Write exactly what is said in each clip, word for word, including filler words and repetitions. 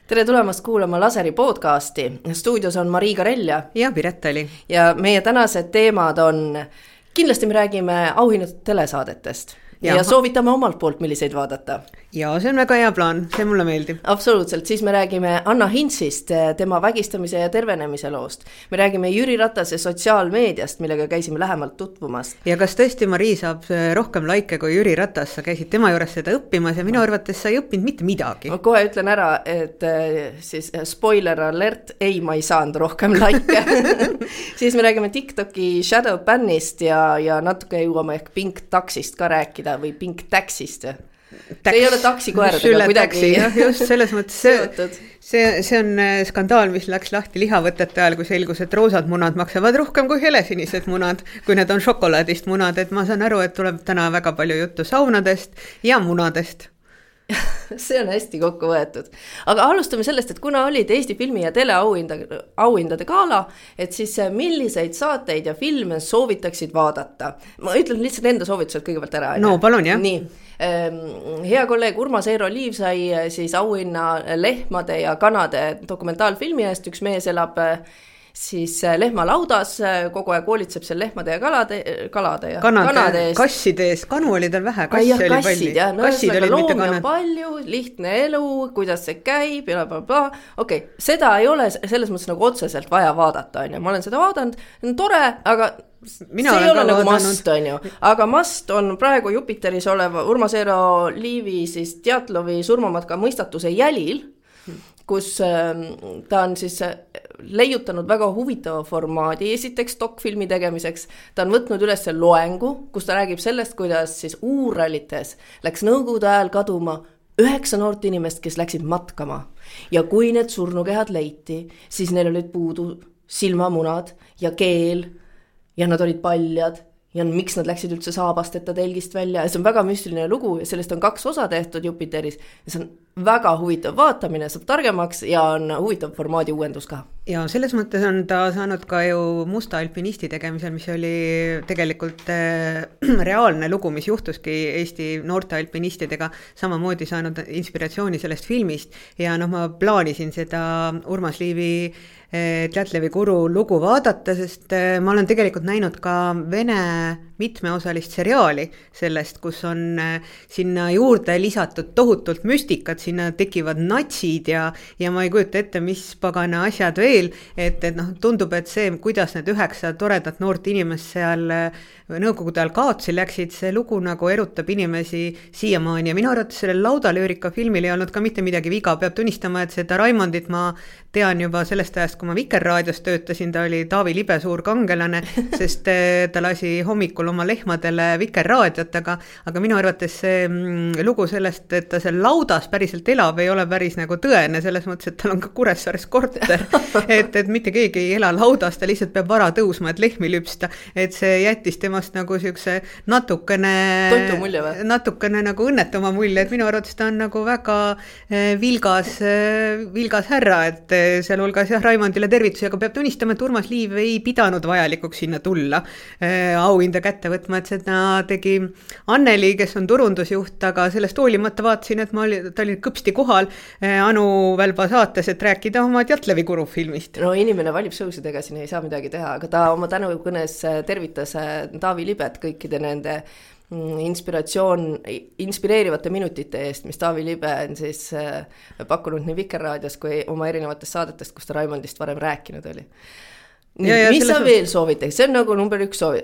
Tere tulemast kuulama Laseri podcasti. Stuudios on Marii Karelja ja Piret Oli. Ja meie tänased teemad on, kindlasti me räägime auhinnatud telesaadetest ja, ja soovitame omalt poolt, milliseid vaadata. Ja see on väga hea plaan, see mulle meeldib. Absoluutselt, siis me räägime Anna Hintsist, tema vägistamise ja tervenemise loost. Me räägime Jüri Ratase sotsiaalmeediast, millega käisime lähemalt tutvumas. Ja kas tõesti Marii saab rohkem laike kui Jüri Ratas, sa käisid tema juures seda õppimas ja minu arvates sa ei õppinud mitte midagi. Ma kohe ütlen ära, et siis spoiler alert, ei, ma ei saanud rohkem laike. Siis me räägime TikToki shadow bannist ja, ja natuke jõuame ehk Pink Taxist ka rääkida või Pink Taxist. Täks, see ei ole taksikoeradega kuidagi taksi, just selles mõttes see, see, see on skandaal, mis läks lahti lihavõtete ajal, kui selgus, et roosad munad maksavad rohkem kui helesinised munad, kui need on šokolaadist munad, et ma saan aru, et tuleb täna väga palju juttu saunadest ja munadest. See on hästi kokku võetud. Aga alustame sellest, et kuna olid Eesti filmi- ja teleauhindade gala, et siis milliseid saateid ja filme soovitaksid vaadata. Ma ütlen lihtsalt enda soovitused kõigepealt ära. No palun, jah. Nii. Hea kolleeg Urmas Eero Liiv sai siis auhinna lehmade ja kanade dokumentaalfilmi eest. Üks mees elab siis lehmalaudas, kogu aeg hoolitseb seal lehmade ja kalade, kalade ja kanade, kanade eest. Kasside eest, kanu oli tal vähe, kassi ja, oli kassid, palju. Ja, no, kassid olid loomi mitte kanad. On palju, lihtne elu, kuidas see käib ja bla, bla, bla. Okei, okay, seda ei ole selles mõttes nagu otseselt vaja vaadata, on ju. Ma olen seda vaadanud, on tore, aga Mina see ei ole nagu vaadanud. must, on ju. Aga must on praegu Jupiteris oleva Urmas Eero Liivi siis Djatlovi surmamatka mõistatuse jälil, kus ta on siis leiutanud väga huvitava formaadi esiteks dokfilmi tegemiseks. Ta on võtnud üles loengu, kus ta räägib sellest, kuidas siis uuralites läks nõukogude ajal kaduma üheksa noort inimest, kes läksid matkama. Ja kui need surnukehad leiti, siis neil olid puudu silmamunad ja keel ja nad olid paljad. Ja miks nad läksid üldse saabasteta telgist välja. Ja see on väga müstiline lugu ja sellest on kaks osa tehtud Jupiteris. Ja see on väga huvitav vaatamine, saab targemaks ja on huvitav formaadi uuendus ka. Ja selles mõttes on ta saanud ka ju musta alpinisti tegemisel, mis oli tegelikult äh, reaalne lugu, mis juhtuski Eesti noorte alpinistidega, samamoodi saanud inspiratsiooni sellest filmist. Ja noh, ma plaanisin seda Urmas Liivi Djatlovi Guru lugu vaadata, sest ma olen tegelikult näinud ka Vene mitmeosalist seriaali sellest, kus on sinna juurde lisatud tohutult müstikat, sinna tekivad natsid ja, ja ma ei kujuta ette, mis pagana asjad veel, et, et noh, tundub, et see, kuidas need üheksa toredat noort inimest seal nõukogude ajal kaotsi läksid, see lugu nagu erutab inimesi siiamaani ja minu arvates sellel laudalöörika filmil ei olnud ka mitte midagi viga, peab tunnistama, et seda Raimondit ma tean juba sellest ajast, kui ma Vikerraadios töötasin, ta oli Taavi Libe suur kangelane, sest ta lasi hommikul oma lehmadele Vikerraadiot, aga, aga minu arvates see lugu sellest, et ta seal laudas päriselt elab, ei ole päris nagu tõene, selles mõttes, et tal on ka Kuressaares korter, et, et mitte keegi ei ela laudas, ta lihtsalt peab vara tõusma, et lehmi lüpsta, et see jättis temast nagu siukse natukene, natukene nagu õnnetuma mulje, et minu arvates ta on nagu väga vilgas, vilgas härra, et seal hulgas jah, Raimondile tervitusi, aga peab tunnistama, et Urmas Liiv ei pidanud vajalikuks sinna tulla äh, auhinda kätte võtma, et seda tegi Anneli, kes on turundusjuht, aga sellest hoolimata vaatasin, et ma oli, ta oli kõpsti kohal äh, Anu Välba saates, et rääkida oma Djatlovi Guru filmist. No inimene valib sõusidega, siin ei saa midagi teha, aga ta oma tänukõnes tervitas Taavi Libet kõikide nende inspiratsioon, inspireerivate minutite eest, mis Taavi Libe on siis pakkunud nii Vikerraadios kui oma erinevatest saadetest, kus ta Raimondist varem rääkinud oli. Nii, ja, ja mis sa veel soovitaks? See on nagu number üks soovi,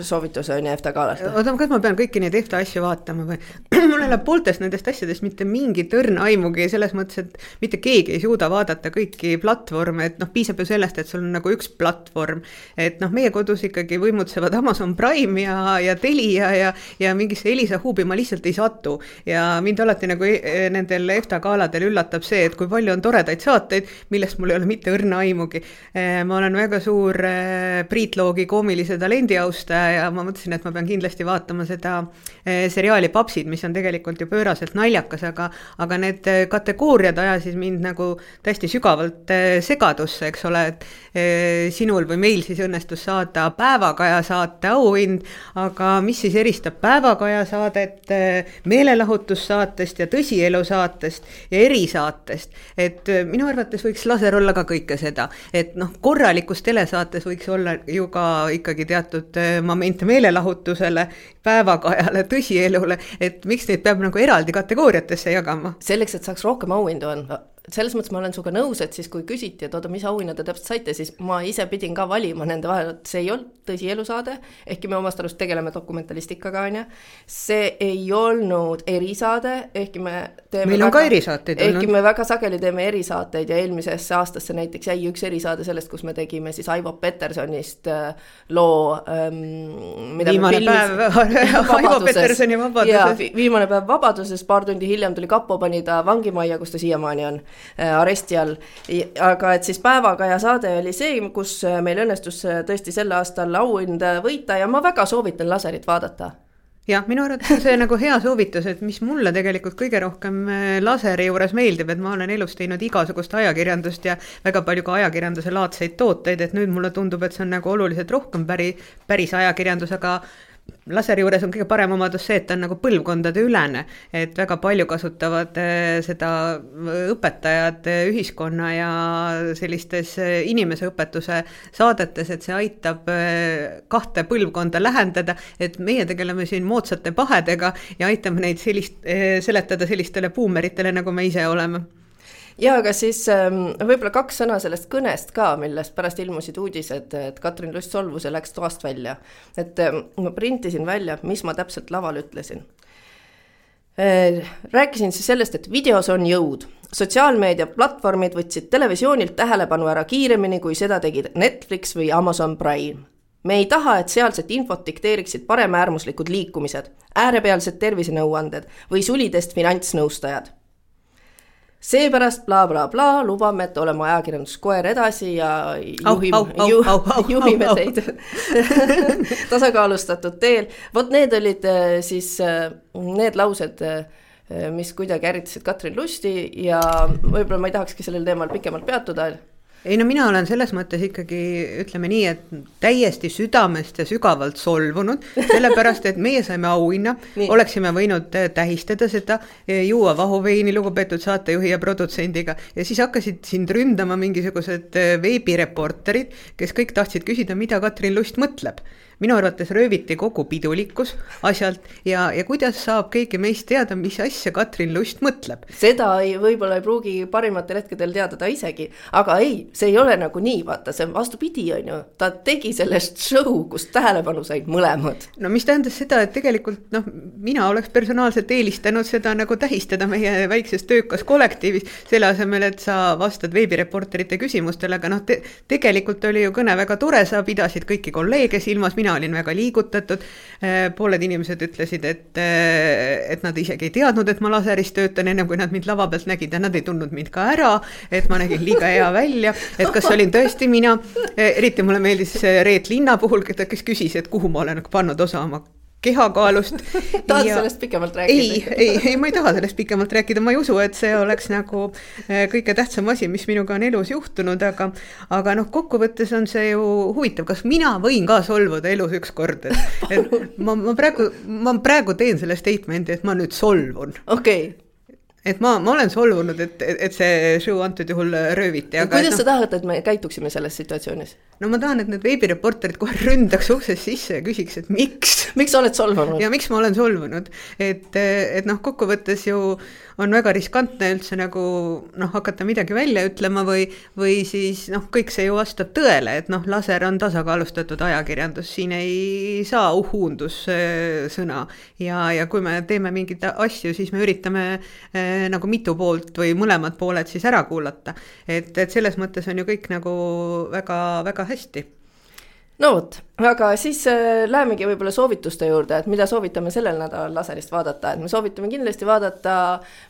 soovitus on ja EFTA galast. Oota, kas ma pean kõiki neid EFTA asju vaatama või? Mul ei ole pooltest nendest asjadest mitte mingi tõrn aimugi selles mõttes, et mitte keegi ei suuda vaadata kõiki platvorme, et noh, piisab ju sellest, et sul on nagu üks platvorm, et noh, meie kodus ikkagi võimutsevad Amazon Prime ja, ja Telia ja, ja mingisse Elisa huubi ma lihtsalt ei satu ja mind alati nagu nendel EFTA galadel üllatab see, et kui palju on toredaid saateid, millest mul ei ole mitte õrna aimugi. Ma olen väga suur suur Priit Loogi koomilise talendi austaja ja ma mõtlesin, et ma pean kindlasti vaatama seda seriaali Papsid, mis on tegelikult ju pööraselt naljakas, aga, aga need kategooriad ajasid mind nagu täiesti sügavalt segadusse, eks ole, et sinul või meil siis õnnestus saada Päevakaja saate auhind, aga mis siis eristab Päevakaja saadet meelelahutussaatest ja tõsielu saatest ja erisaatest, et minu arvates võiks laser olla ka kõike seda, et noh, korralikus telesaates võiks olla ju ka ikkagi teatud moment meelelahutusele, Päevakajale, tõsielule, et miks neid peab nagu eraldi kategooriatesse jagama? Selleks, et saaks rohkem auhindu anda. Selles mõttes ma olen suga nõus, et siis kui küsiti, et oota, mis auhinna te täpselt saite, siis ma ise pidin ka valima nende vahel, et see ei olnud tõsielu saade, ehkki me omast arust tegeleme dokumentalistikaga, on ja. See ei olnud erisaade, ehkki me teeme meil on väga, ka erisaateid ehkki olnud. Me väga sageli teeme erisaateid ja eelmisesse aastasse näiteks jäi üks erisaade sellest, kus me tegime siis Aivo Petersonist loo ähm, mida viimane päev Aivo Petersoni vabaduses. Ja, viimane päev vabaduses, paar tundi hiljem tuli kapo, pani ta vangimajja, kus ta siiamaani on aresti all, aga et siis Päevakaja saade oli see, kus meil õnnestus tõesti sel aastal auhind võita ja ma väga soovitan laserit vaadata. Jah, minu arvates on see nagu hea soovitus, et mis mulle tegelikult kõige rohkem laseri juures meeldib, et ma olen elus teinud igasugust ajakirjandust ja väga palju ka ajakirjanduse laadseid tooteid, et nüüd mulle tundub, et see on nagu oluliselt rohkem päri, päris ajakirjandus, aga laseri juures on kõige parem omadus see, et ta on nagu põlvkondade ülene, et väga palju kasutavad seda õpetajad ühiskonna ja sellistes inimeseõpetuse saadetes, et see aitab kahte põlvkonda lähendada, et meie tegeleme siin moodsate pahedega ja aitame neid sellist, seletada sellistele buumeritele, nagu me ise oleme. Ja aga siis võib-olla kaks sõna sellest kõnest ka, millest pärast ilmusid uudised, et Katrin Lust solvus ja läks toast välja. Et ma printisin välja, mis ma täpselt laval ütlesin. Rääkisin siis sellest, et videos on jõud. Sotsiaalmeedia platvormid võtsid televisioonilt tähelepanu ära kiiremini, kui seda tegid Netflix või Amazon Prime. Me ei taha, et sealset infot dikteeriksid paremäärmuslikud liikumised, äärepealsed tervisenõuanded või sulidest finantsnõustajad. Seepärast bla bla bla lubame, et oleme ajakirjanduskoer edasi ja juhime, au, au, ju, au, au, juhime au, teid tasakaalustatud teel. Vot need olid siis need laused, mis kuidagi äritasid Katrin Lusti ja võib-olla ma ei tahakski sellel teemal pikemalt peatuda. Ei no mina olen selles mõttes ikkagi, ütleme nii, et täiesti südamest ja sügavalt solvunud, sellepärast, et meie saime auhinna, oleksime võinud tähistada seda, juua vahuveini lugupeetud saatejuhi ja produtsendiga ja siis hakkasid sind ründama mingisugused veebireporterid, kes kõik tahtsid küsida, mida Katrin Lust mõtleb. Minu arvates rööviti kogu pidulikkus asjalt ja, ja kuidas saab keegi meist teada, mis asja Katrin Lust mõtleb. Seda ei, võib-olla ei pruugi parimatel hetkedel teada ta isegi, aga ei, see ei ole nagu nii, vaata, see vastupidi on ju, ta tegi sellest show, kus tähelepanu said mõlemad. No mis tähendas seda, et tegelikult noh, mina oleks personaalselt eelistanud seda nagu tähistada meie väikses töökas kollektiivis, selle asemel, et sa vastad veebireporterite küsimustele, aga noh, te, tegelikult oli ju kõne väga tore, sa pidasid kõiki kolleege silmas, mina olin väga liigutatud, pooled inimesed ütlesid, et, et nad isegi ei teadnud, et ma laseris töötan ennem kui nad mind lava pealt nägid ja nad ei tundnud mind ka ära, et ma nägin liiga hea välja, et kas olin tõesti mina, eriti mulle meeldis Reet Linna puhul, kes küsis, et kuhu ma olen pannud osa oma kehakaalust. Tahad ja... sellest pikemalt rääkida? Ei, ei, ei, ma ei taha sellest pikemalt rääkida, ma ei usu, et see oleks nagu kõige tähtsam asi, mis minuga on elus juhtunud, aga, aga noh, kokkuvõttes on see ju huvitav, kas mina võin ka solvuda elus üks kord, et, et ma, ma, praegu, ma praegu teen selle statement'i, et ma nüüd solvun. Okei. Okay. Et ma, ma olen solvunud, et, et see show antud juhul rööviti. Aga kuidas sa no, tahad, et me käituksime selles situatsioonis? No ma tahan, et need veebireporterid kohe ründaks uksest sisse ja küsiks, et miks? Miks sa oled solvunud? Ja miks ma olen solvunud? Et, et noh, kokkuvõttes ju on väga riskantne üldse nagu noh, hakata midagi välja ütlema või, või siis noh, kõik see ju vastab tõele, et noh, laser on tasakaalustatud ajakirjandus, siin ei saa uhuundus sõna ja, ja kui me teeme mingit asju, siis me üritame eh, nagu mitu poolt või mõlemad pooled siis ära kuulata, et, et selles mõttes on ju kõik nagu väga, väga hästi. no vot, aga siis äh, lähemegi võib-olla soovituste juurde, et mida soovitame sellel nädalal laserist vaadata, et me soovitame kindlasti vaadata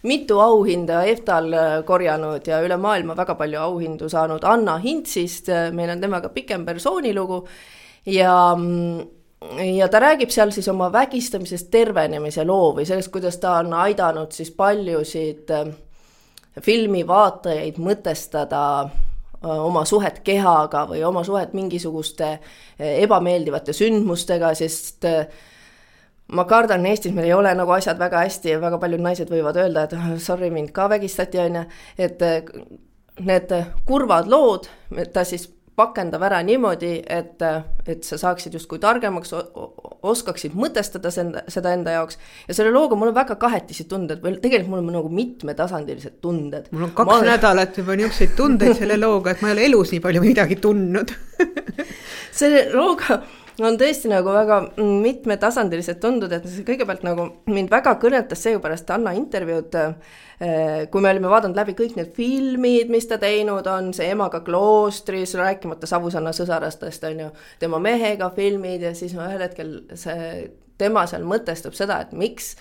mitu auhinda EFTA-l korjanud ja üle maailma väga palju auhindu saanud Anna Hintsist, meil on temaga pikem persoonilugu ja, ja ta räägib seal siis oma vägistamisest tervenemise loo või sellest, kuidas ta on aidanud siis paljusid filmivaatajaid mõtestada oma suhet kehaga või oma suhet mingisuguste ebameeldivate sündmustega, sest ma kardan, Eestis meil ei ole nagu asjad väga hästi ja väga paljud naised võivad öelda, et sorry, mind ka vägistati, on, et need kurvad lood, ta siis pakendab ära niimoodi, et, et sa saaksid justkui targemaks, oskaksid mõtestada seda enda jaoks ja selle looga mul on väga kahetisi tunded, või tegelikult mul on nagu mitmetasandilised tunded. Mul on kaks olen... nädalat juba niisuguseid tundeid selle looga, et ma ei ole elus nii palju midagi tundnud. Selle looga on tõesti nagu väga mitmetasandilised tundud, et kõigepealt nagu mind väga kõnetas seepärast Anna intervjuud, kui me olime vaadanud läbi kõik need filmid, mis ta teinud on, see Emaga kloostris, rääkimata Savusanna sõsarastest, on ju, tema mehega filmid ja siis ühel hetkel see, tema seal mõtestab seda, et miks,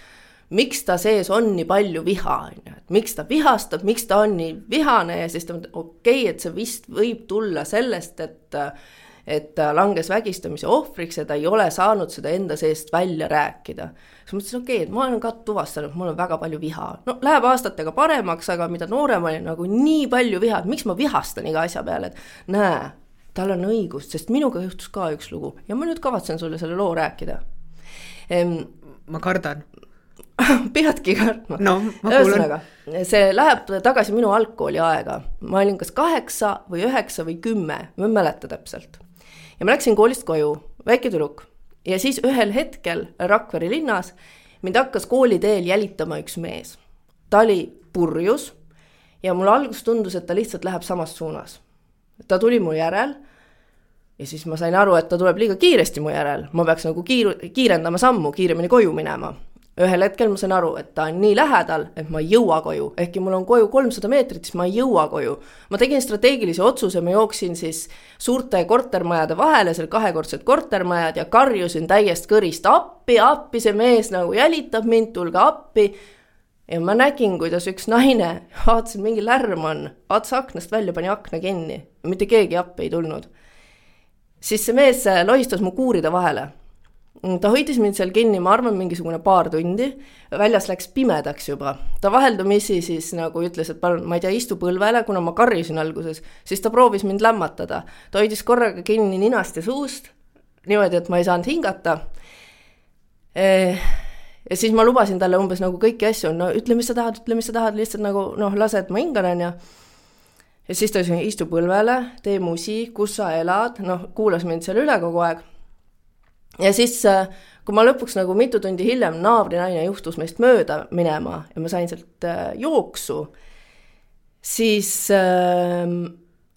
miks ta sees on nii palju viha, on ju, et miks ta vihastab, miks ta on nii vihane ja siis ta mõtleb, okei, okay, et see vist võib tulla sellest, et et ta langes vägistamise ohvriks ja ta ei ole saanud seda enda seest välja rääkida. Siis mõtlesin, okei, okay, et ma olen ka tuvastanud, mul on väga palju viha. No läheb aastatega paremaks, aga mida noorem oli nagu nii palju viha, et miks ma vihastan iga asja peale, et näe, tal on õigus, sest minuga juhtus ka üks lugu ja ma nüüd kavatsen sulle selle loo rääkida. Ehm, ma kardan. Peadki kartma. No, ma kuulen. Ühesõnaga, see läheb tagasi minu algkooli aega. Ma olin kas kaheksa või üheksa või kümme, ma ei mäleta täpselt. Ja ma läksin koolist koju, väike tüdruk. Ja siis ühel hetkel Rakvere linnas mind hakkas kooliteel jälitama üks mees. Ta oli purjus ja mul algus tundus, et ta lihtsalt läheb samas suunas. Ta tuli mu järel ja siis ma sain aru, et ta tuleb liiga kiiresti mu järel. Ma peaks nagu kiir kiirendama sammu, kiiremini koju minema. Ühel hetkel ma sain aru, et ta on nii lähedal, et ma ei jõua koju. Ehkki mul on koju kolmsada meetrit, siis ma ei jõua koju. Ma tegin strateegilise otsuse, ma jooksin siis suurte kortermajade vahele, seal kahekordsed kortermajad ja karjusin täiest kõrist appi, appi, see mees nagu jälitab mind, tulge appi. Ja ma nägin, kuidas üks naine, vaatasin, mingi lärm on, vaatas aknast välja, pani akna kinni. Mitte keegi appi ei tulnud. Siis see mees lohistas mu kuuride vahele. Ta hoidis mind seal kinni, ma arvan, mingisugune paar tundi. Väljas läks pimedaks juba. Ta vaheldumisi siis nagu ütles, et palun, ma ei tea, istu põlvele, kuna ma karjusin alguses. Siis ta proovis mind lämmatada. Ta hoidis korraga kinni ninast ja suust. Niimoodi, et ma ei saanud hingata. Ja siis ma lubasin talle umbes nagu kõiki asju. No ütle, mis sa tahad, ütle, mis sa tahad. Lihtsalt nagu, noh, lase, et ma hingan. Ja, ja siis ta ütles, istu põlvele, tee musi, kus sa elad. Noh, kuulas mind seal üle kogu aeg. Ja siis, kui ma lõpuks nagu mitu tundi hiljem naabrinaine juhtus meist mööda minema ja ma sain sealt jooksu, siis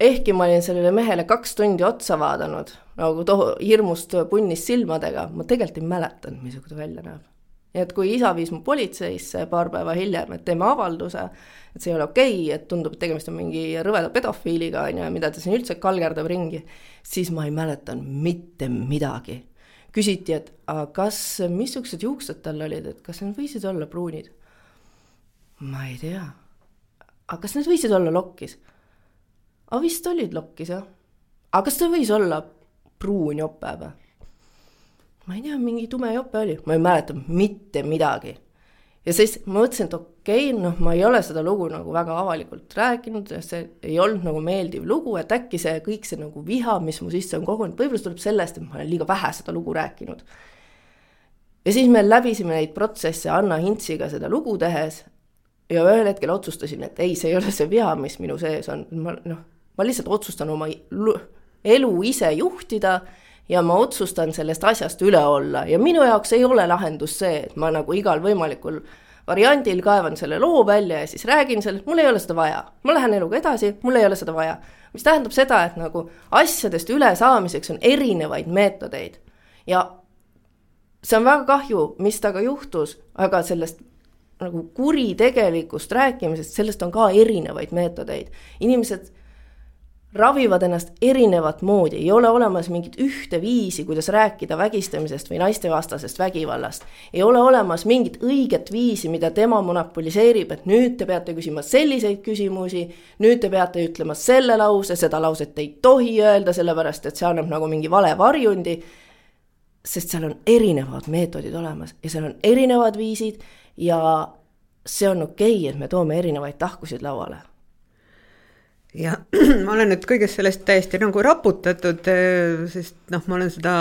ehkki ma olin sellele mehele kaks tundi otsa vaadanud, nagu toho hirmust punnis silmadega, ma tegelikult ei mäletanud, missugune välja näeb. Ja et kui isa viis mu politseisse paar päeva hiljem, et teeme avalduse, et see ei ole okei, et tundub, et tegemist on mingi rõveda pedofiiliga, mida ta siin üldse kalgerdab ringi, siis ma ei mäletanud mitte midagi. Küsiti, et aga kas, missugused juuksed tal olid, et kas need võisid olla pruunid? Ma ei tea. Aga kas need võisid olla lokkis? Aga vist olid lokkis, jah. Aga kas ta võis olla pruun jope või? Ma ei tea, mingi tume jope oli. Ma ei mäleta mitte midagi. Ja siis ma mõtlesin, et okei, okay, noh, ma ei ole seda lugu nagu väga avalikult rääkinud, see ei olnud nagu meeldiv lugu, et äkki see kõik see nagu viha, mis mu sisse on kogunud, võib-olla tuleb sellest, et ma olen liiga vähe seda lugu rääkinud. Ja siis me läbisime neid protsesse Anna Hintsiga seda lugu tehes ja ühel hetkel otsustasin, et ei, see ei ole see viha, mis minu sees on. Ma, noh, ma lihtsalt otsustan oma elu ise juhtida ja ma otsustan sellest asjast üle olla. Ja minu jaoks ei ole lahendus see, et ma nagu igal võimalikul variandil kaevan selle loo välja ja siis räägin sellest, mul ei ole seda vaja. Ma lähen eluga edasi, mul ei ole seda vaja. Mis tähendab seda, et nagu asjadest üle saamiseks on erinevaid meetodeid. Ja see on väga kahju, mis taga juhtus, aga sellest nagu kuritegelikust rääkimisest, sellest on ka erinevaid meetodeid. Inimesed ravivad ennast erinevat moodi, ei ole olemas mingit ühte viisi, kuidas rääkida vägistamisest või naistevastasest vägivallast. Ei ole olemas mingit õiget viisi, mida tema monopoliseerib, et nüüd te peate küsima selliseid küsimusi, nüüd te peate ütlema selle lause, seda lauset ei tohi öelda, sellepärast et see annab nagu mingi vale varjundi, sest seal on erinevad meetodid olemas ja seal on erinevad viisid ja see on okei, et me toome erinevaid tahkusid lauale. Ja ma olen nüüd kõigest sellest täiesti nagu raputatud, sest noh, ma olen seda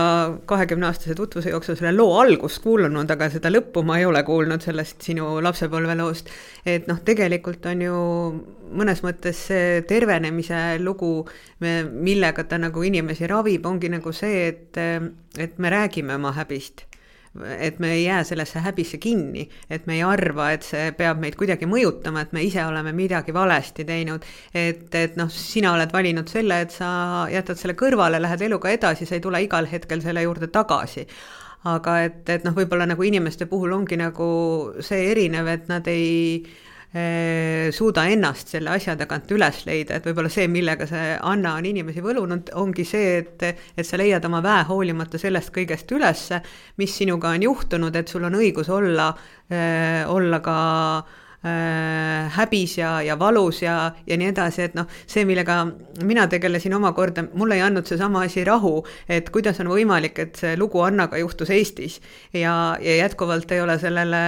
kahekümne aastase tutvuse jooksul selle loo algust kuulunud, aga seda lõppu ma ei ole kuulnud sellest sinu lapsepõlveloost. Et noh, tegelikult on ju mõnes mõttes see tervenemise lugu, millega ta nagu inimesi ravib, ongi nagu see, et, et me räägime oma häbist. Et me ei jää sellesse häbisse kinni, et me ei arva, et see peab meid kuidagi mõjutama, et me ise oleme midagi valesti teinud, et, et noh, sina oled valinud selle, et sa jätad selle kõrvale, lähed eluga edasi, sa ei tule igal hetkel selle juurde tagasi. Aga et, et noh, võib-olla nagu inimeste puhul ongi nagu see erinev, et nad ei suuda ennast selle asja tagant üles leida, et võib-olla see, millega see Anna on inimesi võlunud, ongi see, et, et sa leiad oma väe hoolimata sellest kõigest üles, mis sinuga on juhtunud, et sul on õigus olla, olla ka äh, häbis ja, ja valus ja, ja nii edasi, et noh, see, millega mina tegelesin omakorda, mulle ei andnud see sama asi rahu, et kuidas on võimalik, et see lugu Annaga juhtus Eestis ja, ja jätkuvalt ei ole sellele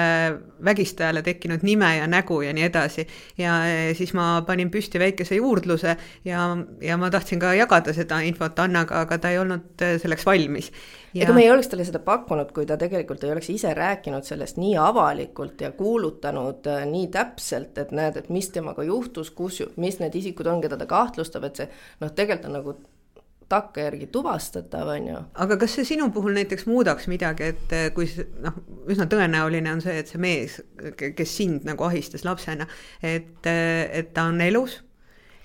vägistajale tekkinud nime ja nägu ja nii edasi. Ja siis ma panin püsti väikese juurdluse ja, ja ma tahtsin ka jagada seda infot Annaga, aga ta ei olnud selleks valmis. Ja... Ega me ei oleks talle seda pakkunud, kui ta tegelikult ei oleks ise rääkinud sellest nii avalikult ja kuulutanud nii täpselt, et näed, et mis temaga juhtus, kus, mis need isikud on, keda ta kahtlustab, et see noh, tegelikult on nagu takka järgi tuvastatav, on ju. Aga kas see sinu puhul näiteks muudaks midagi, et kui noh, üsna tõenäoline on see, et see mees, kes sind nagu ahistas lapsena, et, et ta on elus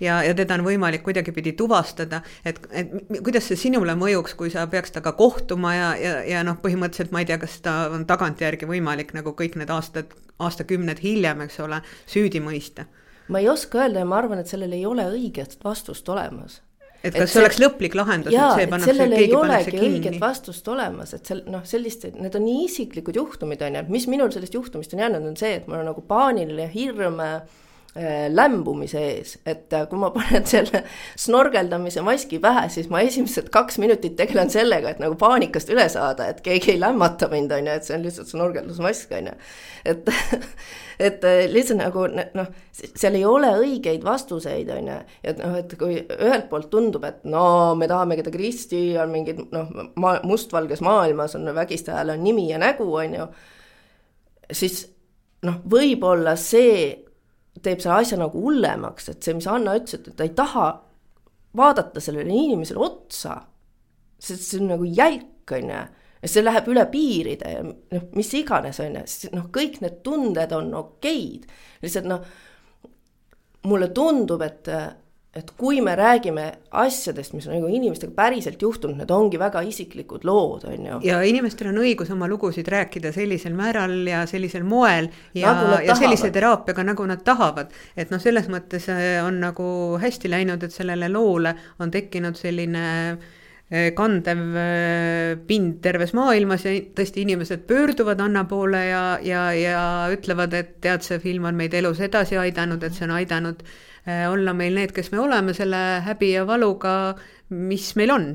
ja, ja teda on võimalik kuidagi pidi tuvastada, et, et kuidas see sinule mõjuks, kui sa peaks taga kohtuma ja, ja, ja noh, põhimõtteliselt ma ei tea, kas ta on tagantjärgi võimalik nagu kõik need aastad, aastakümned hiljem, eks ole, süüdi mõista. Ma ei oska öelda ja ma arvan, et sellel ei ole õiget vastust olemas. Et kas et see oleks lõplik lahendus, jaa, et see pannakse, sellel keegi ei olegi kinni. õiget vastust olemas, et sel, noh, sellist, need on nii isiklikud juhtumid, on, mis minul sellest juhtumist on jäänud, on see, et mul on nagu paaniline hirm äh, lämbumise ees, et äh, kui ma panen selle snorgeldamise maski pähe, siis ma esimesed kaks minutit tegelen sellega, et nagu paanikast üle saada, et keegi ei lämmata mind, on, et see on lihtsalt snorgeldusmask, on, et et lihtsalt nagu noh, seal ei ole õigeid vastuseid, on, et noh, et kui ühelt poolt tundub, et no me tahame keda Kristi on mingid noh, ma, mustvalges maailmas on vägistajal on nimi ja nägu, on ju, siis noh, võib-olla see teeb selle asja nagu hullemaks, et see, mis Anna ütles, et ta ei taha vaadata sellele inimesele otsa, sest see on nagu jälk, on ju, ja see läheb üle piiride ja noh, mis iganes on, noh, kõik need tunded on okeid. Lihtsalt noh, mulle tundub, et, et kui me räägime asjadest, mis on nagu inimestega päriselt juhtunud, need ongi väga isiklikud lood, on ju. Ja inimestel on õigus oma lugusid rääkida sellisel määral ja sellisel moel ja, nagu ja sellise teraapiaga, nagu nad tahavad. Et noh, selles mõttes on nagu hästi läinud, et sellele loole on tekkinud selline kandev pind terves maailmas ja tõesti inimesed pöörduvad Anna poole ja, ja, ja ütlevad, et tead, see film on meid elus edasi aidanud, et see on aidanud olla meil need, kes me oleme selle häbi ja valuga, mis meil on.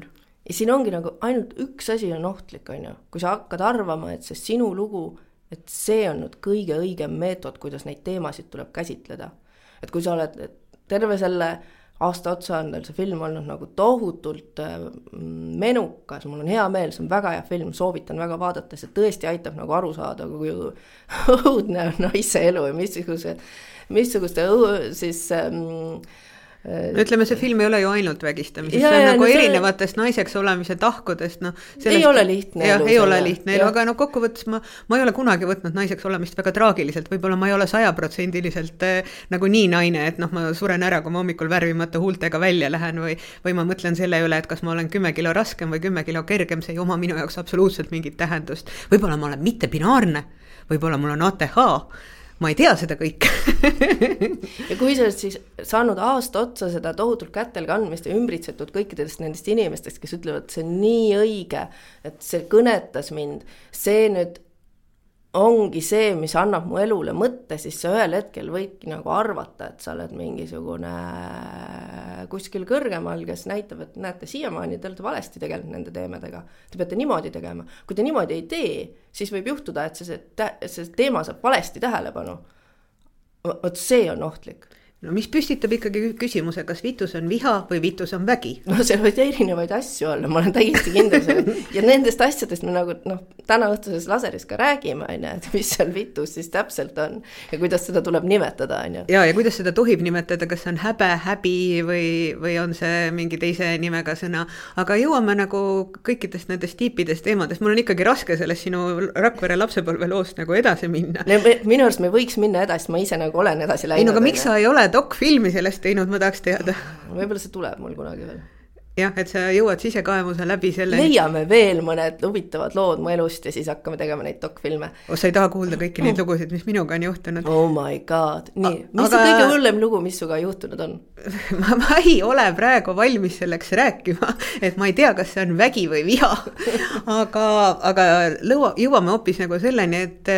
Ja siin ongi nagu ainult üks asi on ohtlik, on ju, kui sa hakkad arvama, et see sinu lugu, et see on nüüd kõige õigem meetod, kuidas neid teemasid tuleb käsitleda. Et kui sa oled terve selle aasta otsa on tal see film olnud nagu tohutult menukas, mul on hea meel, see on väga hea film, soovitan väga vaadata, see tõesti aitab nagu aru saada, kui õudne on naise elu ja missuguse, missuguste siis ähm, ütleme, see film ei ole ju ainult vägistamisest, see on ja, nagu no erinevatest see... naiseks olemise tahkudest. No, sellest... Ei ole lihtne ja, elu. Ei ole lihtne elu, aga no kokkuvõttes ma, ma ei ole kunagi võtnud naiseks olemist väga traagiliselt, võib-olla ma ei ole sajaprotsendiliselt äh, nagu nii naine, et noh, ma suren ära, kui ma hommikul värvimata huultega välja lähen või, või ma mõtlen selle üle, et kas ma olen kümme kilo raskem või kümme kilo kergem, see ei oma minu jaoks absoluutselt mingit tähendust. Võib-olla ma olen mitte binaarne, võib-olla mul on A T H, ma ei tea seda kõike. Ja kui sa oled siis saanud aasta otsa seda tohutult kätel kandmist ja ümbritsetud kõikidest nendest inimestest, kes ütlevad, see on nii õige, et see kõnetas mind, see nüüd ongi see, mis annab mu elule mõtte, siis sa ühel hetkel võidki nagu arvata, et sa oled mingisugune kuskil kõrgemal, kes näitab, et näete, siiamaani te olete valesti tegelenud nende teemadega. Te peate niimoodi tegema. Kui te niimoodi ei tee, siis võib juhtuda, et see, see teema saab valesti tähelepanu. Vot see on ohtlik. No mis püstitab ikkagi küsimuse, kas vitus on viha või vitus on vägi? No seal võid erinevaid asju olla, ma olen täiesti kindel selle. Ja nendest asjadest me nagu no, täna õhtuses laseris ka räägime, et mis seal vitus siis täpselt on ja kuidas seda tuleb nimetada. Ja, ja kuidas seda tohib nimetada, kas on häbe, häbi või, või on see mingi teise nimega sõna. Aga jõuame nagu kõikidest nendest tiipidest teemadest. Mul on ikkagi raske sellest sinu Rakvere lapsepõlve loost nagu edasi minna. Minu arust me võiks minna edasi, ma ise nagu olen edasi läinud. Ei, no aga miks sa ei ole dokfilmi sellest teinud, ma tahaks teada. Võib-olla see tuleb mul kunagi veel. Jah, et sa jõuad sisekaemuse läbi selle... Leiame veel mõned huvitavad lood mu elust ja siis hakkame tegema neid dokfilme. O, sa ei taha kuulda kõiki neid lugusid, mis minuga on juhtunud. Oh my god. Nii, A, mis aga... see kõige hullem lugu, mis suga juhtunud on? ma, ma ei ole praegu valmis selleks rääkima, et ma ei tea, kas see on vägi või viha. aga aga lõua, jõuame hoopis nagu selleni, et...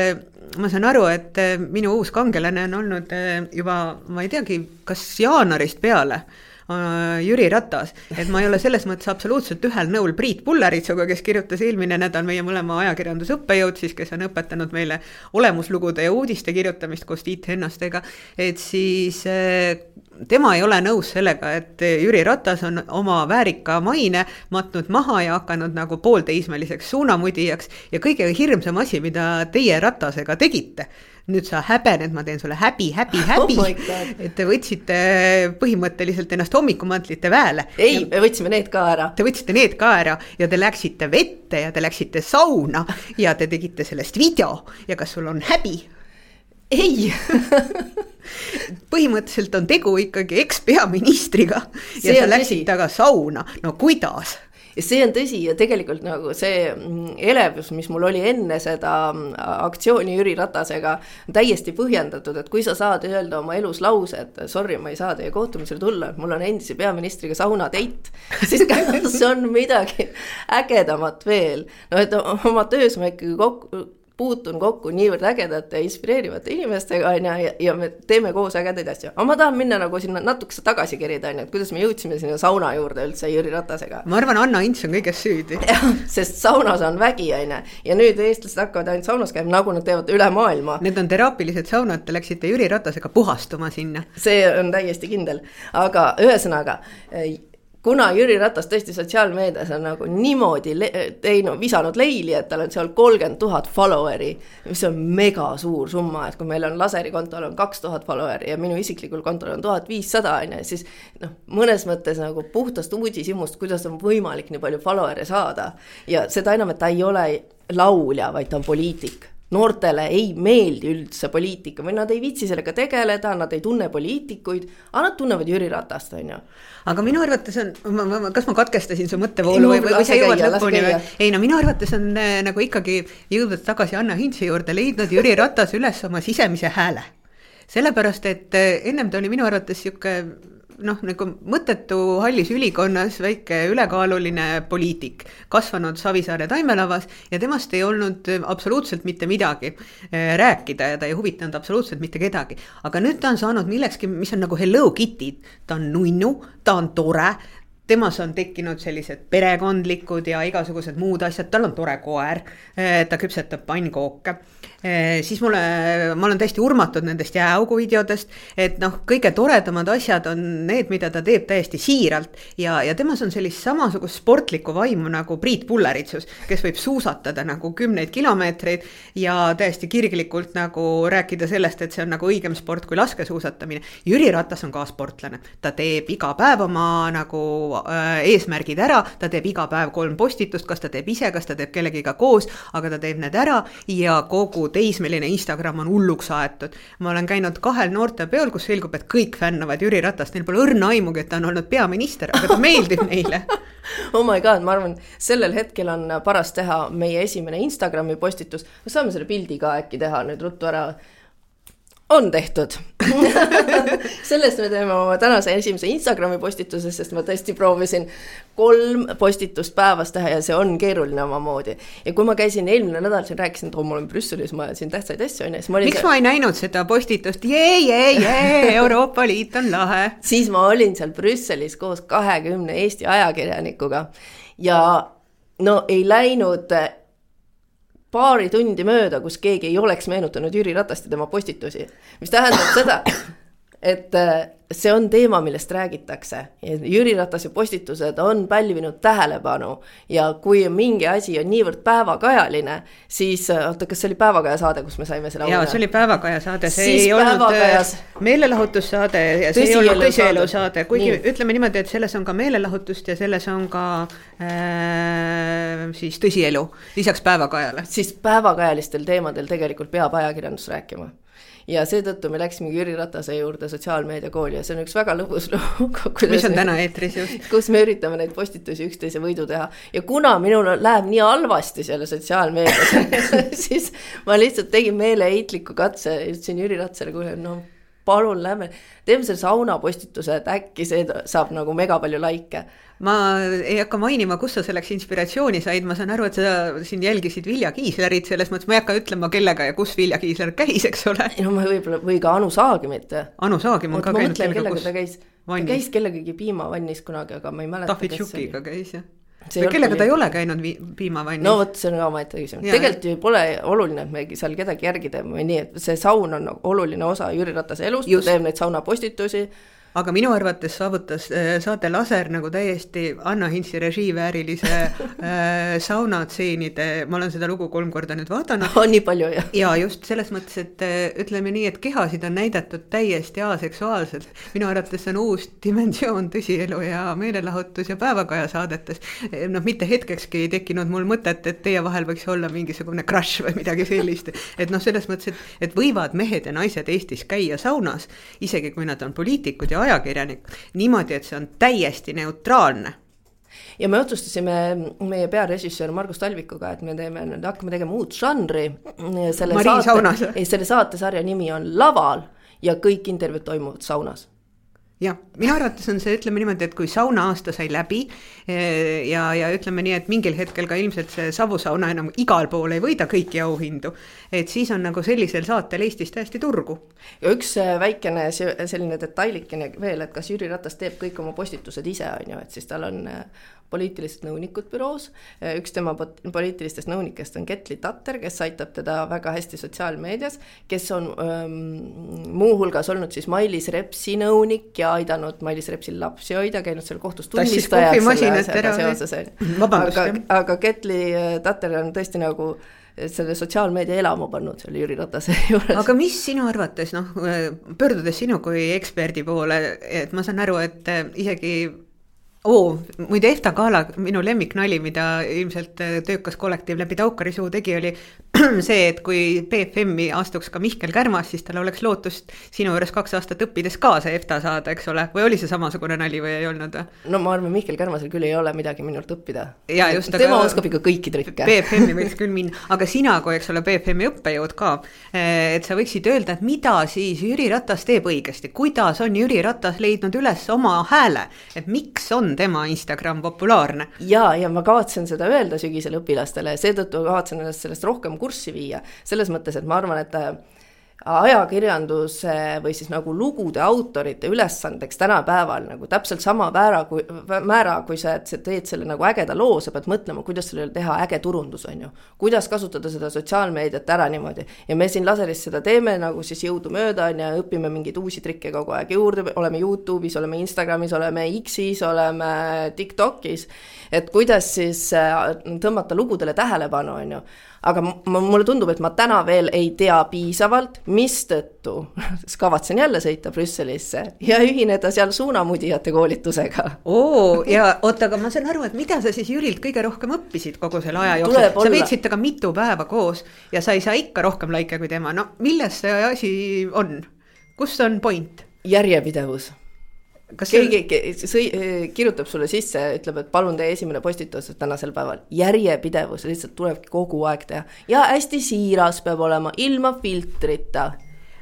Ma saan aru, et minu uus kangelane on olnud juba, ma ei teagi, kas jaanuarist peale Jüri Ratas, et ma ei ole selles mõttes absoluutselt ühel nõul Priit Pulleritsuga, kes kirjutas eelmine nädal meie mõlema ajakirjandusõppejõud, siis kes on õpetanud meile olemuslugude ja uudiste kirjutamist koos Tiit Hennastega, et siis tema ei ole nõus sellega, et Jüri Ratas on oma väärika maine matnud maha ja hakanud nagu poolteismeliseks suunamudijaks ja kõige hirmsam asi, mida teie Ratasega tegite. Nüüd sa häbened, ma teen sulle häbi, häbi, häbi, oh et te võtsite põhimõtteliselt ennast hommikumantlite väele. Ei, me võtsime need ka ära. Te võtsite need ka ära ja te läksite vette ja te läksite sauna ja te tegite sellest video ja kas sul on häbi? Ei. Põhimõtteliselt on tegu ikkagi eks-peaministriga ja see sa läksid tõsi. Taga sauna. No kuidas? Ja see on tõsi ja tegelikult nagu see elevus, mis mul oli enne seda aktsiooni Jüri Ratasega, täiesti põhjendatud, et kui sa saad öelda oma elus lause, et sorry, ma ei saa teie kohtumisele tulla, et mul on endise peaministriga sauna teit, siis kas on midagi ägedamat veel. No et oma töös ma ikkagi kokku puutun kokku niivõrd ägedate ja inspireerivate inimestega ja, ja me teeme koos ägedaid asju. Aga ma tahan minna nagu sinna natukese tagasi kerida, et kuidas me jõudsime sinna sauna juurde üldse Jüri Ratasega. Ma arvan, Anna Ints on kõiges süüdi. Ja, sest saunas on vägi aine. Ja nüüd eestlased hakkavad ainult saunas käima, nagu nad teevad üle maailma. Need on teraapilised saunad, te läksite Jüri Ratasega puhastuma sinna. See on täiesti kindel. Aga ühesõnaga... Kuna Jüri Ratas tõesti sotsiaalmeedias on nagu niimoodi le- teinud, visanud leili, et tal on seal kolmkümmend tuhat followeri, mis on mega suur summa, et kui meil on laseri kontol on kaks tuhat followeri ja minu isiklikul kontol on tuhat viissada, siis noh, mõnes mõttes nagu puhtast uudishimust, kuidas on võimalik nii palju followeri saada. Ja seda enam, et ta ei ole laulja, vaid ta on poliitik. Noortele ei meeldi üldse poliitika või nad ei viitsi sellega tegeleda, nad ei tunne poliitikuid, aga nad tunnevad Jüri Ratast, on ju. Aga minu arvates on, ma, ma, kas ma katkestasin su mõttevoolu või, või sa jõuad lõpuni või? Ei, no minu arvates on nagu ikkagi jõudnud tagasi Anna Hintsi juurde, leidnud Jüri Ratas üles oma sisemise hääle. Sellepärast, et ennem ta oli minu arvates siuke noh, nagu mõttetu hallis ülikonnas väike ülekaaluline poliitik, kasvanud Savisaare taimelavas ja temast ei olnud absoluutselt mitte midagi rääkida ja ta ei huvitanud absoluutselt mitte kedagi. Aga nüüd ta on saanud millekski, mis on nagu Hello Kitty, ta on nunnu, ta on tore, temas on tekkinud sellised perekondlikud ja igasugused muud asjad, tal on tore koer, ta küpsetab pannkooke. Siis mulle, ma olen täiesti urmatud nendest jääaugu videodest, et noh, kõige toredamad asjad on need, mida ta teeb täiesti siiralt ja, ja temas on sellist samasugust sportlikku vaimu nagu Priit Pulleritsus, kes võib suusatada nagu kümneid kilomeetreid ja täiesti kirglikult nagu rääkida sellest, et see on nagu õigem sport kui laskesuusatamine. Jüri Ratas on ka sportlane, ta teeb iga päev oma nagu äh, eesmärgid ära, ta teeb iga päev kolm postitust, kas ta teeb ise, kas ta teeb kellegiga koos, aga ta teeb need ära ja kogu teismeline Instagram on hulluks aetud. Ma olen käinud kahel noorte peol, kus selgub, et kõik fännavad Jüri Ratast, neil pole õrna aimugi, et ta on olnud peaminister, aga ta meeldib neile. Oh my god, ma arvan, sellel hetkel on paras teha meie esimene Instagrami postitus. Me saame selle pildi ka äkki teha nüüd ruttu ära. On tehtud. Sellest me teeme oma tänase esimese Instagrami postituse, sest ma tõesti proovisin kolm postitust päevas teha ja see on keeruline oma moodi. Ja kui ma käisin eelmine nädal siin rääkisin, et oh, ma olen Brüsselis, ma siin tähtsaid asju on. Miks seal... ma ei näinud seda postitust? Jee, jee, jee, Euroopa Liit on lahe. Siis ma olin seal Brüsselis koos kahekümne Eesti ajakirjanikuga ja no ei läinud paari tundi mööda, kus keegi ei oleks meenutanud Jüri Ratast ja tema postitusi. Mis tähendab seda, et see on teema, millest räägitakse. Jüri Ratase postitused on pälvinud tähelepanu ja kui mingi asi on niivõrd päevakajaline, siis, oota, kas see oli päevakaja saade, kus me saime selle Jaa, see oli päevakaja saade, see siis ei päevakajas... olnud meelelahutussaade ja see ei olnud tõsielu saade, kuigi nii. Ütleme niimoodi, et selles on ka meelelahutust ja selles on ka äh, siis tõsielu, lisaks päevakajale. Siis päevakajalistel teemadel tegelikult peab ajakirjandus rääkima. Ja seetõttu me läksime Jüri Ratase juurde sotsiaalmeediakooli ja see on üks väga lõbus lugu, mis on täna eetris just. Kus me üritame neid postitusi üksteise võidu teha. Ja kuna minul läheb nii halvasti selle sotsiaalmeedias, siis ma lihtsalt tegin meeleheitliku katse ja ütlesin Jüri Ratasele, kuule, no palun lähme, teeme selle sauna postituse, et äkki see saab nagu mega palju laike. Ma ei hakka mainima, kus sa selleks inspiratsiooni said, ma saan aru, et sa siin jälgisid Vilja Kiislerit, selles mõttes ma ei hakka ütlema kellega ja kus Vilja Kiisler käis, eks ole. No ma võib-olla, või ka Anu Saagimit. Anu Saagim on ka käinud kellega, kellega ta käis. Ta käis kellegagi piimavannis kunagi, aga ma ei mäleta. Tahvi Tšukiga käis, jah. Või kellega ta ei ole käinud vi- piimavannis? No võt, see on ka omaette küsimus. Tegelikult ju pole oluline, et me seal kedagi järgi teeme või nii, et see saun on oluline osa Jüri Ratase elust, ta teeb neid sauna postitusi. Aga minu arvates saavutas saate Laser nagu täiesti Anna Hintsi režiiväärilise äh, saunatseenide, ma olen seda lugu kolm korda nüüd vaadanud. On nii palju, jah. Ja just selles mõttes, et ütleme nii, et kehasid on näidatud täiesti aseksuaalselt. Minu arvates on uus dimensioon tõsielu ja meelelahutus ja päevakaja saadetes. No mitte hetkekski ei tekkinud mul mõtet, et teie vahel võiks olla mingisugune crush või midagi sellist. Et noh, selles mõttes, et, et võivad mehed ja naised Eestis käia saunas, isegi kui nad on poliitikud ja ajakirjanik, niimoodi, et see on täiesti neutraalne. Ja me otsustasime meie pearežissöör Margus Talvikuga, et me teeme, hakkame tegema uut žanri. Selle Marii saate, saunas. Ei, selle saatesarja nimi on Laval ja kõik intervjuud toimuvad saunas. Ja, minu arvates on see, ütleme niimoodi, et kui sauna aasta sai läbi ja, ja ütleme nii, et mingil hetkel ka ilmselt see savusauna enam igal pool ei võida kõiki auhindu, et siis on nagu sellisel saatel Eestis täiesti turgu. Ja üks väikene selline detailikene veel, et kas Jüri Ratas teeb kõik oma postitused ise, on ju, et siis tal on poliitilised nõunikud büroos. Üks tema poliitilistest nõunikest on Ketli Tatter, kes aitab teda väga hästi sotsiaalmeedias, kes on ähm, muuhulgas olnud siis Mailis Repsi nõunik ja aidanud Mailis Repsil lapsi hoida, käinud seal kohtus tunnistajaks selle seoses. Aga, aga Ketli Tatter on tõesti nagu selle sotsiaalmeedia elamu pannud selle Jüri Ratase juures. Aga mis sinu arvates, noh, pöördudes sinu kui eksperdi poole, et ma saan aru, et isegi Oo, muide Efta Kaala, minu lemmiknali, mida ilmselt töökas kollektiiv läbi Taukari suu tegi, oli see, et kui P F M-i astuks ka Mihkel Kärmas, siis tal oleks lootust sinu juures kaks aastat õppides ka see Efta saada, eks ole? Või oli see samasugune nali või ei olnud? No ma arvan, Mihkel Kärmasel küll ei ole midagi minult õppida. Ja, just, tema aga, oskab ikka kõiki trikke. P F M-i võiks küll minna, aga sina, kui eks ole P F M-i õppejõud ka, et sa võiksid öelda, et mida siis Jüri Ratas teeb õigesti? Kuidas on Jüri Ratas leidnud üles oma hääle? Et miks on tema Instagram populaarne? Ja, ja ma kavatsen seda öelda sügisel õpilastele, seetõttu kavatsen sellest rohkem kurssi viia. Selles mõttes, et ma arvan, et ajakirjanduse või siis nagu lugude autorite ülesandeks tänapäeval nagu täpselt sama määra, kui, määra, kui sa teed selle nagu ägeda loo, sa pead mõtlema, kuidas sellele teha äge turundus, on ju. Kuidas kasutada seda sotsiaalmeediat ära niimoodi. Ja me siin Laseris seda teeme nagu siis jõudu mööda ja õpime mingeid uusi trikke kogu aeg juurde, oleme YouTube'is, oleme Instagramis, oleme X-is, oleme TikTokis, et kuidas siis tõmmata lugudele tähelepanu, on ju. Aga mulle tundub, et ma täna veel ei tea piisavalt, mistõttu kavatsen jälle sõita Brüsselisse ja ühineda seal suunamudijate koolitusega. Oo, ja oota, aga ma saan aru, et mida sa siis Jürilt kõige rohkem õppisid kogu selle aja jooksul? Sa veetsid temaga mitu päeva koos ja sa ei saa ikka rohkem laike kui tema. No milles see asi on? Kus on point? Järjepidevus. Kas keegi sõi, kirjutab sulle sisse, ütleb, et palun tee esimene postitus tänasel päeval. Järjepidevus lihtsalt tuleb kogu aeg teha. Ja hästi siiras peab olema, ilma filtrita.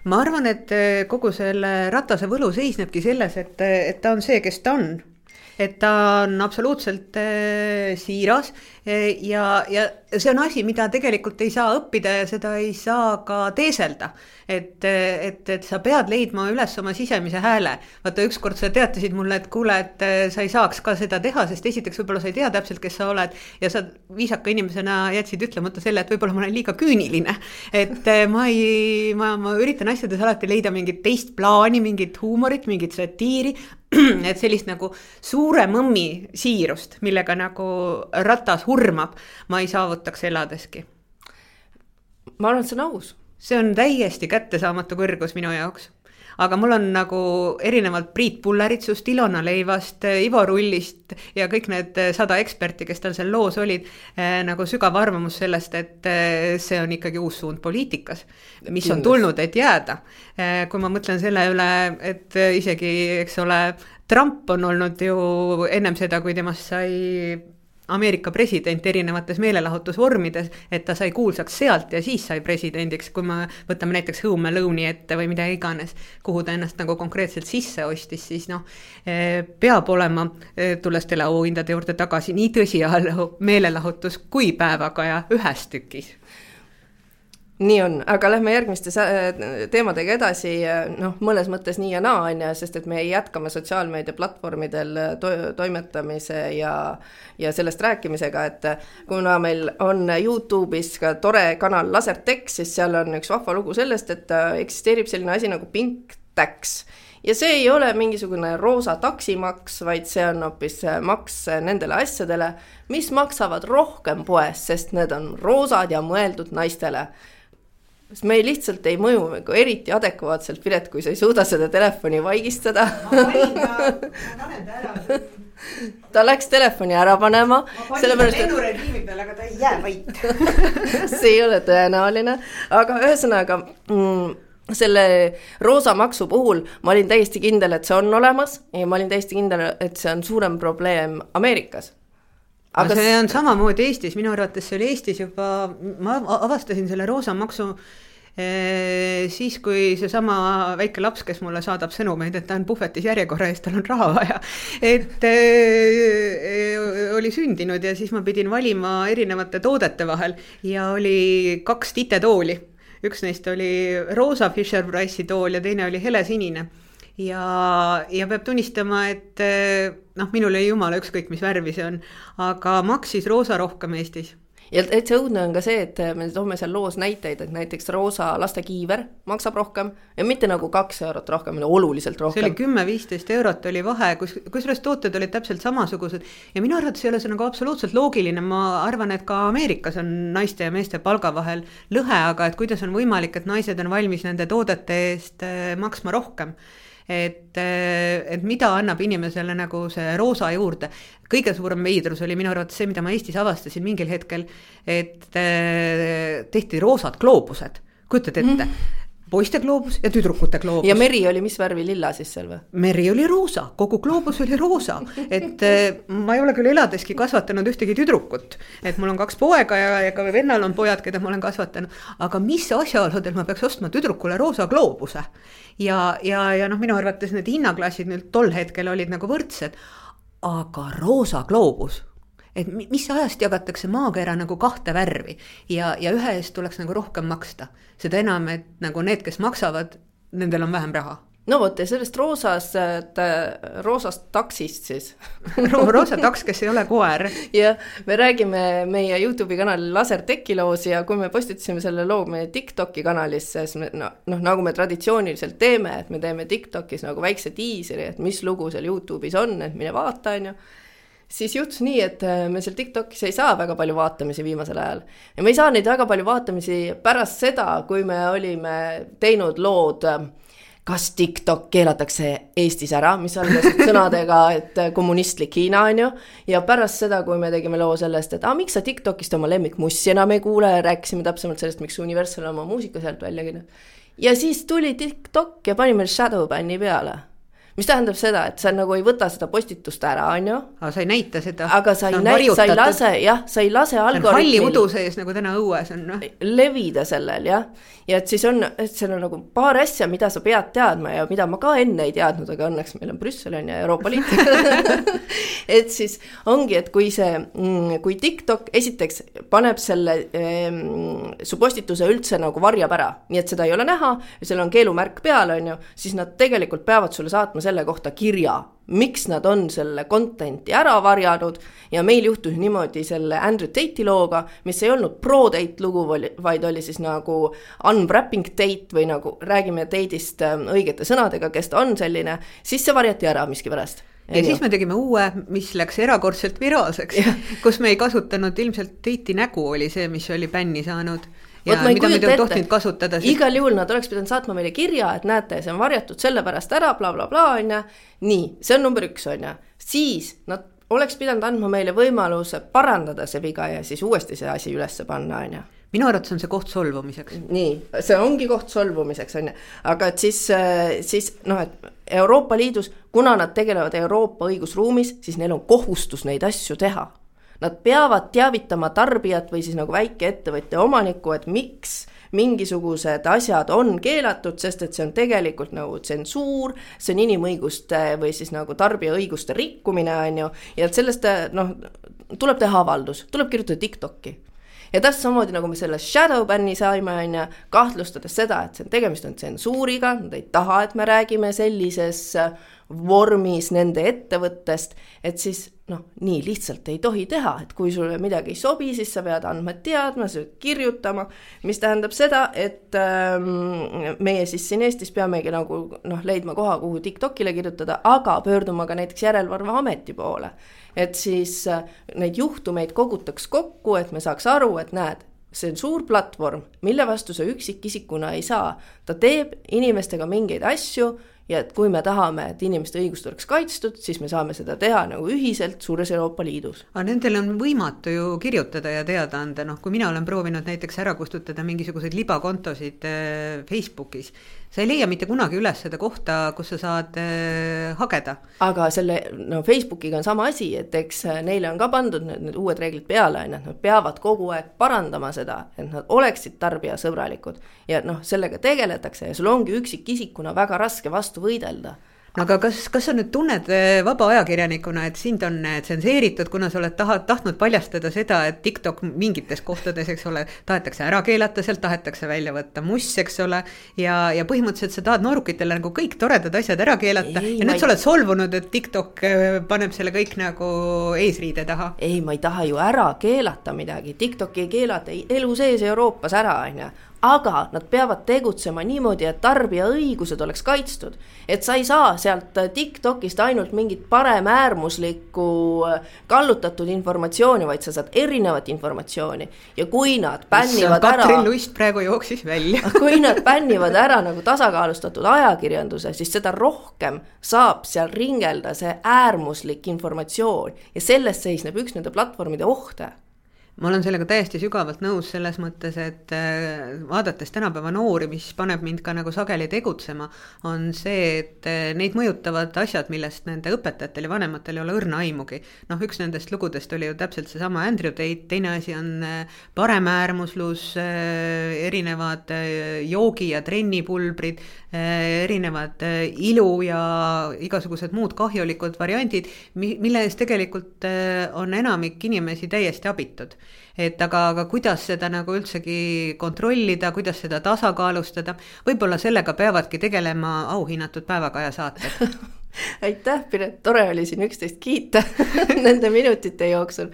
ma arvan, et kogu selle Ratase võlu seisnebki selles, et, et ta on see, kes ta on. Et ta on absoluutselt äh, siiras äh, ja, ja see on asi, mida tegelikult ei saa õppida ja seda ei saa ka teeselda. Et, et, et sa pead leidma üles oma sisemise hääle. Vaata, ükskord sa teatasid mulle, et kuule, et sa ei saaks ka seda teha, sest esiteks võib-olla sa ei tea täpselt, kes sa oled ja sa viisaka inimesena jätsid ütlemata selle, et võib-olla ma olen liiga küüniline. Et ma, ei, ma, ma üritan asjades alati leida mingit teist plaani, mingit huumorit, mingit satiiri, et sellist nagu suure mõmmi siirust, millega nagu Ratas hurmab, ma ei saavutaks eladeski. Ma arvan, et see on aus. See on täiesti kättesaamatu kõrgus minu jaoks. Aga mul on nagu erinevalt Priit Pulleritsust, Ilona Leivast, Ivo Rullist ja kõik need sada eksperti, kes tal seal loos olid, nagu sügav arvamus sellest, et see on ikkagi uus suund poliitikas, mis on tulnud, et jääda. Kui ma mõtlen selle üle, et isegi, eks ole, Trump on olnud ju ennem seda, kui temast sai Ameerika president erinevates meelelahutusvormides, et ta sai kuulsaks sealt ja siis sai presidendiks, kui me võtame näiteks Home Alone'i ette või mida iganes, kuhu ta ennast nagu konkreetselt sisse ostis, siis noh, peab olema, tulles teleauhindade juurde tagasi, nii tõsiajalu meelelahutus kui päevakaja ühes tükis. Nii on, aga lähme järgmiste teemadega edasi, noh, mõnes mõttes nii ja naa, on ja, sest et me jätkame sotsiaalmeedia platvormidel to toimetamise ja, ja sellest rääkimisega, et kuna meil on YouTube'is ka tore kanal Lasertech, siis seal on üks vahva lugu sellest, et eksisteerib selline asi nagu Pink Tax. Ja see ei ole mingisugune roosa taksimaks, vaid see on hoopis maks nendele asjadele, mis maksavad rohkem poes, sest need on roosad ja mõeldud naistele. Sest me lihtsalt ei mõju eriti adekvaatselt, Piret, kui sa ei suuda seda telefoni vaigistada. Ma panin ta, ma panen ta ära. Ta läks telefoni ära panema. Ma panin ta lennurežiimi peal, aga ta ei jää vait. See ei ole tõenäoline. Aga ühesõnaga, mm, selle roosa maksu puhul ma olin täiesti kindel, et see on olemas ja ma olin täiesti kindel, et see on suurem probleem Ameerikas. Aga see on samamoodi Eestis, minu arvates see oli Eestis juba, ma avastasin selle roosa maksu e, siis, kui see sama väike laps, kes mulle saadab sõnumeid, et ta on puhvetis järjekorra eest, tal on raha vaja, et e, e, oli sündinud ja siis ma pidin valima erinevate toodete vahel ja oli kaks titetooli. Üks neist oli roosa Fisher-Price'i tool ja teine oli helesinine. Ja, ja peab tunnistama, et noh, minul ei jumala ükskõik, mis värvi see on, aga maksis roosa rohkem Eestis. Ja et see õudne on ka see, et me toome seal loos näiteid, et näiteks roosa lastekiiver maksab rohkem ja mitte nagu kaks eurot rohkem, oluliselt rohkem. See oli kümme viisteist eurot oli vahe, kus, kusjuures tooted olid täpselt samasugused ja minu arvates ei ole see nagu absoluutselt loogiline, ma arvan, et ka Ameerikas on naiste ja meeste palga vahel lõhe, aga et kuidas on võimalik, et naised on valmis nende toodete eest maksma rohkem. Et, et mida annab inimesele nagu see roosa juurde. Kõige suurem veidrus oli minu arvates see, mida ma Eestis avastasin mingil hetkel, et tehti roosad gloobused. Kujutad ette? Mm. Poiste gloobus ja tüdrukute gloobus. Ja meri oli mis värvi lilla siis seal või? Meri oli roosa, kogu gloobus oli roosa. Et ma ei ole küll eladeski kasvatanud ühtegi tüdrukut. Et mul on kaks poega ja, ja ka vennal on pojad, keda ma olen kasvatanud. Aga mis asjaoludel ma peaks ostma tüdrukule roosa gloobuse? Ja, ja, ja noh, minu arvates need hinnaklassid nüüd tol hetkel olid nagu võrdsed. Aga roosa gloobus, et mis ajast jagatakse maakera nagu kahte värvi ja, ja ühe eest tuleks nagu rohkem maksta. Seda enam, et nagu need, kes maksavad, nendel on vähem raha. No vot, ja sellest roosast, roosast taksist siis. Roosa taks, kes ei ole koer. Ja me räägime meie YouTube'i kanali Lasertechi loos ja kui me postitasime selle loo meie TikToki kanalisse, siis me, no, no, nagu me traditsiooniliselt teeme, et me teeme TikTokis nagu väikse tiiseri, et mis lugu seal YouTube'is on, et mine vaata, on ju. Siis juhtus nii, et me seal TikTokis ei saa väga palju vaatamisi viimasel ajal. Ja me ei saa neid väga palju vaatamisi pärast seda, kui me olime teinud lood, kas TikTok keelatakse Eestis ära, mis algasid sõnadega, et kommunistlik Hiina on ju. Ja pärast seda, kui me tegime loo sellest, et ah, miks sa TikTokist oma lemmikmussi enam ei kuule, rääkisime täpsemalt sellest, miks Universal oma muusika sealt välja. Ja siis tuli TikTok ja pani meil Shadowbanni peale. mis tähendab seda, et sa nagu ei võta seda postitust ära, on ju. Aga sa ei näita seda. Aga sa ei, näi, sa ei lase, jah, sa ei lase algoritmil. Halli udu sees, nagu täna õues on. No? Levida sellel, jah. Ja et siis on, et seal on nagu paar asja, mida sa pead teadma ja mida ma ka enne ei teadnud, aga õnneks meil on Brüssel on ja Euroopa Liit. Et siis ongi, et kui see, kui TikTok esiteks paneb selle ehm, su postituse üldse nagu varjab ära, nii et seda ei ole näha ja seal on keelumärk peal, on ju, siis nad tegelikult peavad sulle saatma selle kohta kirja, miks nad on selle contenti ära varjanud ja meil juhtus niimoodi selle Andrew Tate'i looga, mis ei olnud pro-date lugu, vaid oli siis nagu unwrapping date või nagu räägime date'ist õigete sõnadega, kes ta on selline, siis see varjati ära miski pärast. Ja Enju. Siis me tegime uue, mis läks erakordselt viraalseks, kus me ei kasutanud ilmselt Tate'i nägu oli see, mis oli bänni saanud. Ja Võt, mida me ei tohtinud kasutada. Siis... Igal juhul nad oleks pidanud saatma meile kirja, et näete, see on varjatud selle pärast ära, bla bla bla, on ja. Nii, see on number üks, on ja. Siis nad oleks pidanud andma meile võimaluse parandada see viga ja siis uuesti see asi ülesse panna, on ja. Minu arvates on see koht solvumiseks. Nii, see ongi koht solvumiseks, on ja. Aga et siis, siis noh, et Euroopa Liidus, kuna nad tegelevad Euroopa õigusruumis, siis neil on kohustus neid asju teha. Nad peavad teavitama tarbijat või siis nagu väike ettevõtja omanikku, et miks mingisugused asjad on keelatud, sest et see on tegelikult nagu tsensuur, see on inimõiguste või siis nagu tarbija õiguste rikkumine, on ju, ja et sellest noh, tuleb teha avaldus, tuleb kirjutada TikToki. Ja täpselt samamoodi nagu me selle shadow banni saime, on ja kahtlustades seda, et see on tegemist on tsensuuriga, nad ei taha, et me räägime sellises vormis nende ettevõttest, et siis noh, nii lihtsalt ei tohi teha, et kui sulle midagi ei sobi, siis sa pead andma teadma, sa pead kirjutama, mis tähendab seda, et ähm, meie siis siin Eestis peamegi nagu noh, leidma koha, kuhu TikTokile kirjutada, aga pöörduma ka näiteks järelevalve ameti poole, et siis äh, neid juhtumeid kogutaks kokku, et me saaks aru, et näed, see on suur platvorm, mille vastu sa üksikisikuna ei saa, ta teeb inimestega mingeid asju, ja et kui me tahame, et inimeste õigust oleks kaitstud, siis me saame seda teha nagu ühiselt suures Euroopa Liidus. Aga nendel on võimatu ju kirjutada ja teada anda, noh, kui mina olen proovinud näiteks ära kustutada mingisuguseid libakontosid Facebookis, sa ei leia mitte kunagi üles seda kohta, kus sa saad äh, hageda. Aga selle, no Facebookiga on sama asi, et eks neile on ka pandud need, need uued reeglid peale, et nad peavad kogu aeg parandama seda, et nad oleksid tarbijasõbralikud ja noh, sellega tegeletakse ja sul ongi üksikisikuna väga raske vastu võidelda. Aga kas, kas sa nüüd tunned vaba ajakirjanikuna, et sind on tsenseeritud, kuna sa oled taha, tahtnud paljastada seda, et TikTok mingites kohtades, eks ole, tahetakse ära keelata, sealt tahetakse välja võtta muss, eks ole, ja, ja põhimõtteliselt sa tahad noorukitele nagu kõik toredad asjad ära keelata ei, ja nüüd ei... sa oled solvunud, et TikTok paneb selle kõik nagu eesriide taha. Ei, ma ei taha ju ära keelata midagi, TikTok ei keelata elu sees Euroopas ära, on ja. Aga nad peavad tegutsema niimoodi, et tarbija õigused oleks kaitstud. Et sa ei saa sealt TikTokist ainult mingit parem äärmuslikku kallutatud informatsiooni, vaid sa saad erinevat informatsiooni. Ja kui nad bännivad ära... Katrin Lust praegu jooksis välja. Kui nad bännivad ära nagu tasakaalustatud ajakirjanduse, siis seda rohkem saab seal ringelda see äärmuslik informatsioon. Ja sellest seisneb üks nende platvormide ohte. Ma olen sellega täiesti sügavalt nõus selles mõttes, et vaadates tänapäeva noori, mis paneb mind ka nagu sageli tegutsema, on see, et neid mõjutavad asjad, millest nende õpetajatel ja vanematel ei ole õrna aimugi. Noh, üks nendest lugudest oli ju täpselt see sama Andrew Tate, teine asi on paremäärmuslus, erinevad joogi- ja trennipulbrid, erinevad ilu ja igasugused muud kahjulikud variandid, mille eest tegelikult on enamik inimesi täiesti abitud. Et aga, aga kuidas seda nagu üldsegi kontrollida, kuidas seda tasakaalustada, võib-olla sellega peavadki tegelema auhinnatud päevakaja saated. Aitäh, Piret, tore oli siin üksteist kiita nende minutite jooksul.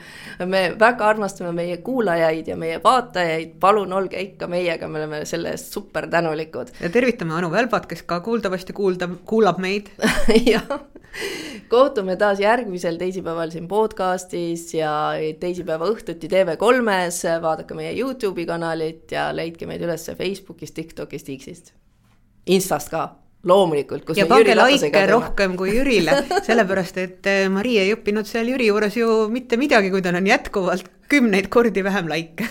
Me väga armastame meie kuulajaid ja meie vaatajaid, palun olge ikka meiega, me oleme selle eest super tänulikud. Ja tervitame Anu Välbat, kes ka kuuldavasti kuulda, kuulab meid. Ja, kohtume taas järgmisel teisipäeval siin podcastis ja teisipäeva õhtuti T V kolmes, vaadake meie YouTube'i kanalit ja leidke meid üles Facebookist, TikTokist, X-ist, Instast ka. Loomulikult, kus ja pange laike rohkem kui Jürile, sellepärast et Mari ei õppinud seal Jüri juures ju mitte midagi, kui ta on jätkuvalt kümneid kordi vähem laike.